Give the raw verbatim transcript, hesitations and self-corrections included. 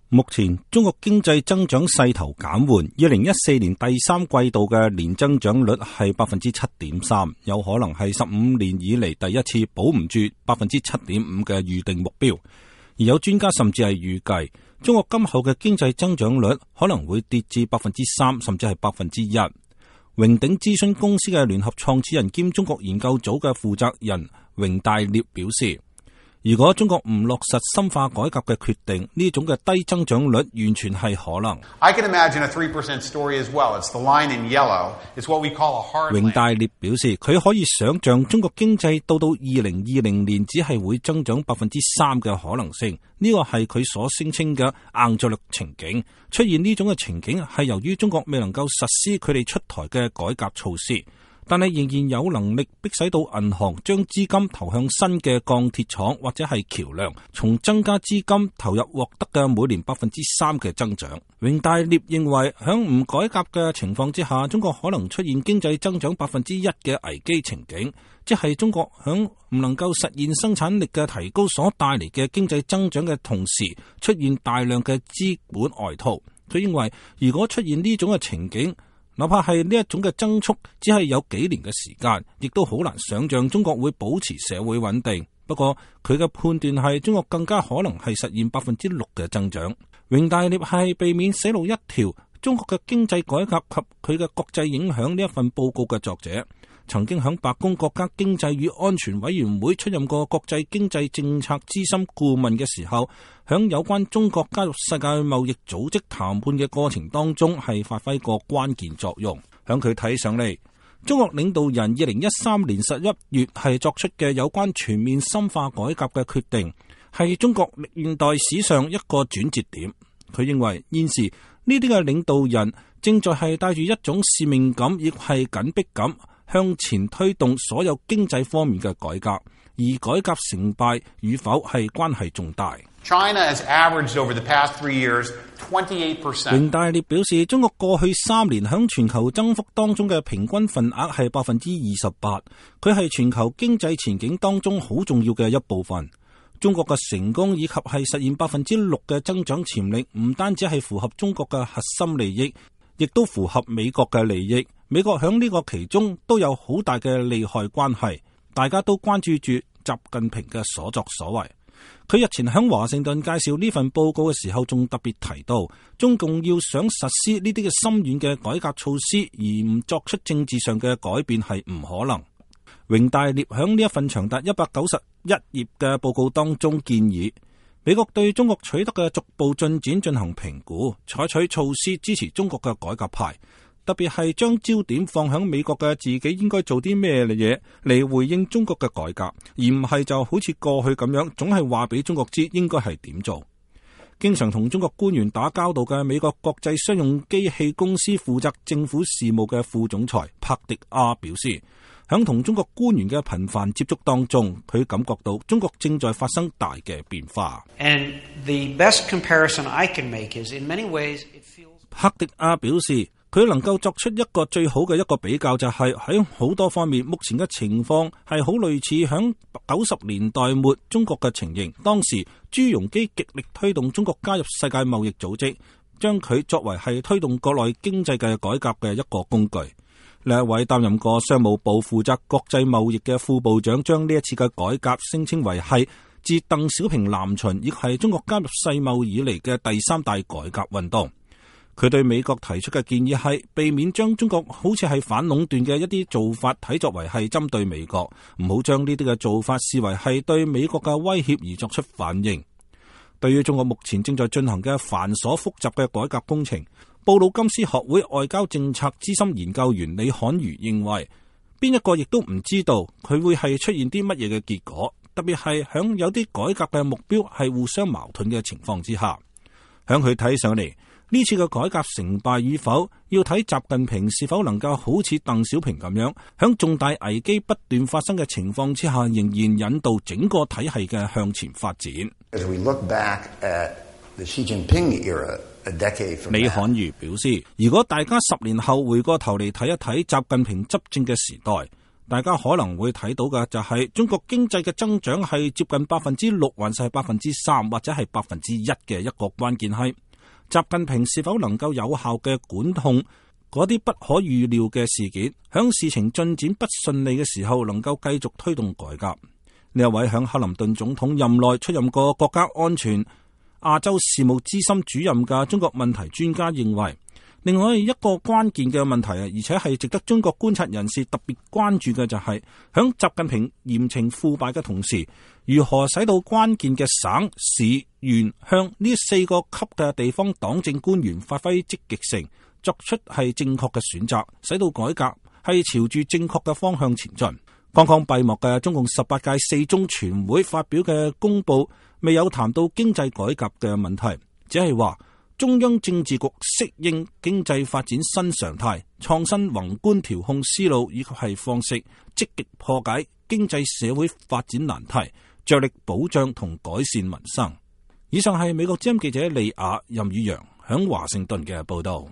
目前中國經濟增長勢頭減緩，二零一四年第三季度嘅年增長率係百分之七點三，有可能係十五年以嚟第一次保唔住百分之七點五嘅預定目標。而有專家甚至係預計，中國今後嘅經濟增長率可能會跌至百分之三，甚至係百分之一。榮鼎諮詢公司嘅聯合創始人兼中國研究組嘅負責人榮大烈表示，如果中國唔落實深化改革嘅決定，呢種嘅低增長率完全係可能。I can imagine a three percent story as well. It's the line in yellow. It's what we call a hard landing. 榮大烈表示，佢可以想象中國經濟到到二零二零年只係會增長百分之三嘅可能性。呢個係佢所聲稱嘅硬着陸情景。出現呢種嘅情景係由於中國未能夠實施佢哋出台嘅改革措施。但係仍然有能力迫使到銀行將資金投向新嘅鋼鐵廠或者係橋樑，從增加資金投入獲得嘅每年百分之三嘅增長。榮大烈認為，響唔改革嘅情況之下，中國可能出現經濟增長百分之一嘅危機情景，即係中國響唔能夠實現生產力嘅提高所帶嚟嘅經濟增長嘅同時，出現大量嘅資本外逃。佢認為，如果出現呢種嘅情景，哪怕係呢一種嘅增速只係有幾年嘅時間，亦都好難想象中國會保持社會穩定。不過佢嘅判斷係中國更加可能係實現百分之六嘅增長。榮大烈係避免死路一條中國嘅經濟改革及佢嘅國際影響呢一份報告嘅作者，曾經響白宮國家經濟與安全委員會出任過國際經濟政策資深顧問嘅時候，響有關中國加入世界貿易組織談判嘅過程當中係發揮過關鍵作用。響佢睇上嚟，中國領導人二零一三年十一月係作出嘅有關全面深化改革嘅決定，係中國現代史上一個轉折點。佢認為現時呢啲嘅領導人正在係帶住一種使命感，亦係緊迫感，向前推動所有經濟方面嘅改革，而改革成敗與否係關係重大。China has averaged over the past three years twenty-eight percent. 榮大烈表示，中國過去三年響全球增幅當中嘅平均份額係百分之二十八，佢係全球經濟前景當中好重要嘅一部分。中國嘅成功以及係實現百分之六嘅增長潛力，唔單止係符合中國嘅核心利益，亦都符合美國嘅利益。美國響呢個其中都有好大嘅利害關係，大家都關注住習近平嘅所作所為。佢日前響華盛頓介紹呢份報告嘅時候，仲特別提到，中共要想實施呢啲嘅深遠嘅改革措施，而唔作出政治上嘅改變係唔可能。榮大烈響呢一份長達一百九十一頁嘅報告當中建議，美國對中國取得嘅逐步進展進行評估，採取措施支持中國嘅改革派，特別係將焦點放響美國嘅自己應該做啲咩嘢嚟回應中國嘅改革，而唔係就好似過去咁樣，總係話俾中國知應該係點做。經常同中國官員打交道嘅美國國際商用機器公司負責政府事務嘅副總裁帕迪亞表示，響同中國官員嘅頻繁接觸當中，佢感覺到中國正在發生大嘅變化。And the best comparison I can make is in many ways it feels... 帕迪亞表示，佢能夠作出一個最好嘅一個比較，就係喺好多方面，目前嘅情況係好類似響九十年代末中國嘅情形。當時朱鎔基極力推動中國加入世界貿易組織，將佢作為係推動國內經濟嘅改革嘅一個工具。另一位擔任過商務部負責國際貿易嘅副部長，將呢一次嘅改革聲稱為係自鄧小平南巡，亦係中國加入世貿以嚟嘅第三大改革運動。佢對美國提出嘅建議係避免將中國好似係反壟斷嘅一啲做法睇作為係針對美國，唔好將呢啲嘅做法視為係對美國嘅威脅而作出反應。對於中國目前正在進行嘅繁瑣複雜嘅改革工程，布魯金斯學會外交政策資深研究員李漢瑜認為，邊一個亦都唔知道佢會係出現啲乜嘢嘅結果，特別係響有啲改革嘅目標係互相矛盾嘅情況之下。響佢睇上嚟，呢次嘅改革成敗與否，要睇習近平是否能夠好似鄧小平咁樣，響重大危機不斷發生嘅情況之下，仍然引導整個體系嘅向前發展。As we look back at the Xi Jinping era, a decade from now, 李漢瑜表示，如果大家十年後回過頭嚟睇一睇習近平執政嘅時代，大家可能會睇到嘅就係中國經濟嘅增長係接近百分之六，還是係百分之三，或者係百分之一嘅一個關鍵係習近平是否能夠有效嘅管控嗰啲不可預料嘅事件，響事情進展不順利嘅時候，能夠繼續推動改革。呢一位響克林頓總統任內出任過國家安全亞洲事務資深主任嘅中國問題專家認為，另外一個關鍵嘅問題啊，而且係值得中國觀察人士特別關注嘅就係，響習近平嚴懲腐敗嘅同時，如何使到關鍵嘅省、市、縣、鄉呢四個級嘅地方黨政官員發揮積極性，作出係正確嘅選擇，使到改革係朝住正確嘅方向前進。剛剛閉幕嘅中共十八屆四中全會發表嘅公報未有談到經濟改革嘅問題，只係話中央政治局適應經濟發展新常態，創新宏觀調控思路以及係方式，積極破解經濟社會發展難題，着力保障同改善民生。以上係美國之音記者李雅、任宇陽響華盛頓嘅報道。